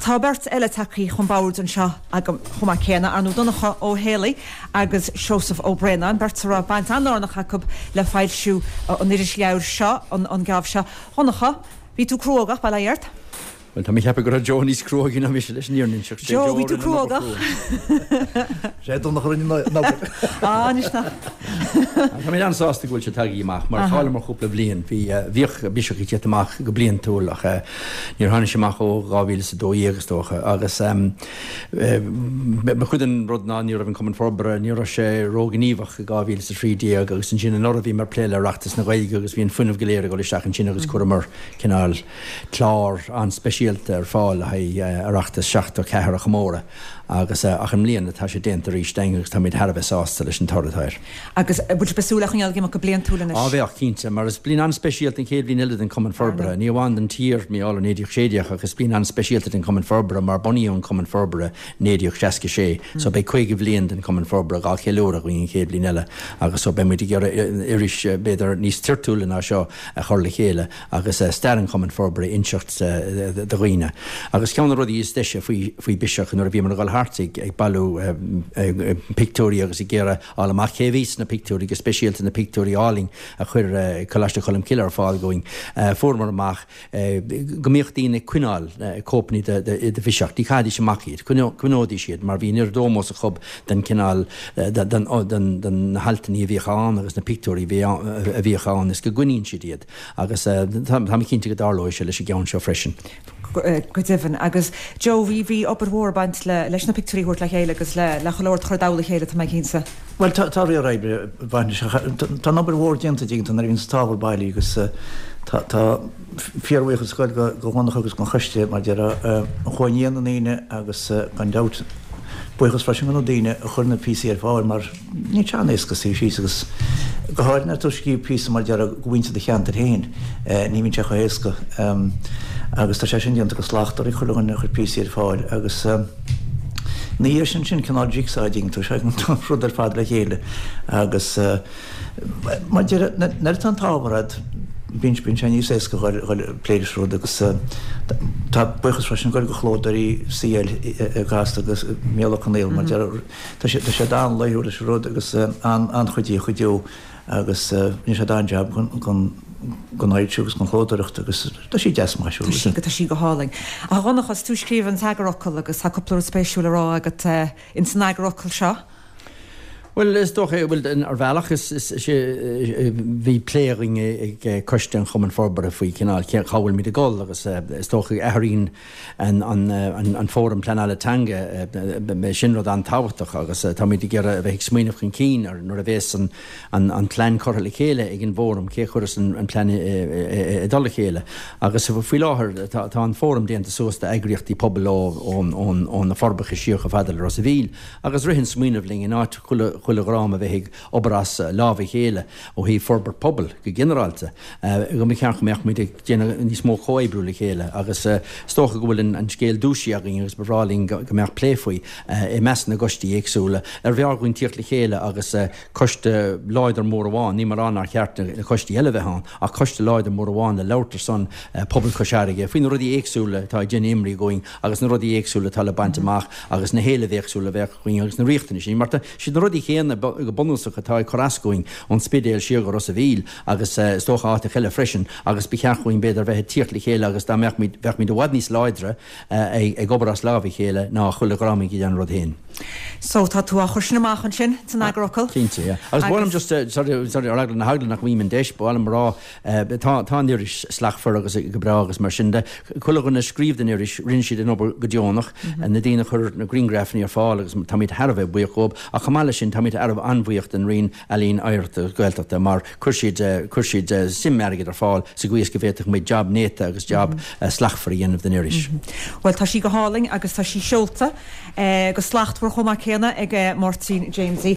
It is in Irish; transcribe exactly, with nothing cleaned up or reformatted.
tá beirt eile tagtha chun boird anseo agam chomh maith céanna, ar ndóigh Donncha Ó Héalaí agus Seosamh Ó Braonáin, beirt a raibh baint an-lárnach acu le foilsiú an irisleabhair seo, an geábh seo. Donncha, bhí tú cruógach, bail ó Dhia ort? Well tá mé ag ceapadh go raibh Joe níos cruógaí ná mise leis an fhírinne a inseacht. Joe, bhí tú cruógach. Sé Donncha a rinne an obair. Ah, anois nach. Tá mé an-sásta go bhfuil sé tagtha amach mar chailleamar cúpla bliain. Bhí bhíodh Biseach ag tíocht amach go bliantúil ach níor tháinig sé amach ó dhá mhíle is a dó dhéag is dócha agus ba chuid den rud ná ní raibh an Cumann Forbartha, ní raibh sé róghníomhach i dhá mhíle is a trí déag agus ansin anuraidh bhíomar ag plé le Oireachtas na Gaeilge agus bhí an fuinneamh go léir ag dul isteach ansin agus chuireamar cineál clár an-speisialta ar fáil le haghaidh Oireachtas seachtó ceathair a chomóradh agus ach i mbliana tá sé déanta arís dúinn agus táimid thar a bheith sásta leis an toradh atá air. Agus bhfuil sibh ag súil le coinneáil ag imeacht go bliantúil anois? Á bheadh, cinnte, mar is bliain an-speisialta an chéad bhliain eile den Chumann Forbartha, ní amháin don tír, mar gheall ar naoi déag sé déag ach is bliain an-speisialta den Chumann Forbartha mar bunaíodh an Cumann Forbartha naoi déag seasca sé so beidh caoga bhliain den Chumann Forbartha dhá cheiliúradh againn an chéad bhliain eile agus so beidh muid ag iarraidh iris b'fhéidir níos toirtiúla ná seo a chur le chéile agus stair an Chumainn Forbartha a inseacht do dhaoine. Agus ceann de na rudaí is deise faoi faoi Biseach nuair a bhíomar ag dul thart ag ag bailiú pictiúirí agus ag iarraidh fháil amach cé a bhí sna pictiúirí, go speisialta na pictiúirí álainn a chuir Coláiste Cholmcille ar fáil dúinn, fuaireamar amach go mbíodh daoine ag coinneáil cóipeanna de de Bhiseach. Ní chaithidís amach iad, choinneoidís iad mar bhí an oiread ómós acu don cineál den den na haltanna a bhíodh ann agus na pictiúirí a bhíodh ann is go gcoinníonn siad iad. Agus tá mé cinnte go dtarlóidh sé leis an gceann seo freisin. Go deimhin. Agus Joe, bhí bhí obair mhór ag baint le leis na pictiúirí a thabhairt le chéile agus le le chuile shórt a chur i dtoll a chéile, tá mé cinnte. Bhuel, tá tá riar oibre ag baint leis. Tá an obair mhór déanta dtuigeann tú nuair a bhíonn an t-ábhar bailithe agus tá tá fíorbhuíochas ag goil go Dhonncha agus don choiste mar déarfá a chuaigh i ndiaidh na ndaoine agus gan dabht buíochas freisin do na daoine a chuir na píosaí ar fáil mar níl sé an-éasca suí síos agus go háirithe nuair atá tú ag scríobh píosa mar déarfá do mhuintir do cheantair féin, ní bhíonn sé chomh héasca agus tá sé sin déanta go slachtmhar ag chuile dhuine a chuir píosaí ar fáil agus ina dhiaidh sin sin cineál jigsaw a dtuigeann tú, sé an rud ar fad le chéile agus mar déarfá nuair atá an t-ábhar agat bíonn bíonn sé níos éasca dhul dhul ag plé leis an rud agus tá buíochas freisin ag goil do chlódóirí CL i gCasla agus Mícheál Ó Conghaile mar déarfá tá sé tá siad an-laoithiúil leis an rud agus an-chuidíoch go deo agus rinne siad an-jab den den fhoilsiú agus den chlódóireacht agus tá sí deas maisiúil. Tá sí tá sí go hálainn. A Dhonncha, is tú a scríobh an t-eagarfhocal agus tá cúpla rud spéisiúil a rá agat ins an eagarfhocal seo. Bhuel, is dócha, bhuel, ar bhealach is, is, is é, bhí plé againn ag Coiste an Chumainn Forbartha faoi cineál cé, cá bhfuilimid ag dul agus is dócha go athraíonn an, an, an, an Fóram Pleanála Teanga, sin rud an-tábhachtach agus táimid ag iarraidh a bheith ag smaoineamh chun cinn ar nuair a bhéas an, an, an plean curtha le chéile ag an bhFóram, cé a chuireas an, an plean i, i, i dtoll a chéile. Agus faoi láthair tá, tá an Fóram déanta suas d'eagraíochtaí pobail ó, ón, ón, ó na Forbacha siar chomh fada le Ros a' Mhíl agus rith an smaoineamh linn in áit chuile chuile dhream a bheith ag obair as lámh a chéile ó thaobh forbairt pobail go ginearálta, go mba cheart go mbeadh muid ag déanamh níos mó comhoibriú le chéile agus is dócha go bhfuil an scéal dúisithe againn agus ba bhreá linn go mbeadh plé faoi i measc na gcoistí éagsúla ar bhfearr dhúinn tíocht le chéile agus coiste láidir mór amháin, níl mé ag rá nár cheart na coistí eile a bheith ann, ach coiste láidir mór amháin le labhairt ar son pobal Chois Fharraige faoi na rudaí éagsúla atá ag déanamh imní dhúinn agus na rudaí éagsúla atá le baint amach agus na héilimh éagsúla a bheadh againn agus na riachtanais sin, mar tá siad na rudaí céanna go bunúsach atá ag cur as dhúinn ón Spidéal siar go Ros a' Mhíl agus is dócha áiteacha eile freisin agus ba cheart dhúinn b'fhéidir bheith ag tíocht le chéile agus dá mbeadh muid, bheadh muid i bhfad níos láidre ag obair as lámh a chéile ná chuile dhream ag déanamh a rud féin. So tá tú á chur sin amach ansin san eagarfhocal. Cinnte, yeah. Agus ba mhaith liom just, sorry, sorry, ar eagla na heagla nach bhfaighim an deis, ba mhaith liom a rá, Tá tá an iris slachtmhar agus go breá agus mar sin de. Chuile dhuine a scríobh don iris, rinne siad an obair go deonach. Na daoine a chuir na grianghrafanna ar fáil agus táimid thar a bheith buíoch dhóibh. Ach chomh maith leis sin táimid thar a bheith an-bhuíoch den Roinn Ealaíon, Oidhreachta agus Gaeltachta mar chuir siad chuir siad suim airgid ar fáil sa gcaoi is go bhféadfadh muid jab néata agus jab slachtmhar a dhéanamh den iris. Bhuel tá sí go hálainn agus tá sí seolta go slachtmhar chomh maith céanna ag Máirtín Jamesie.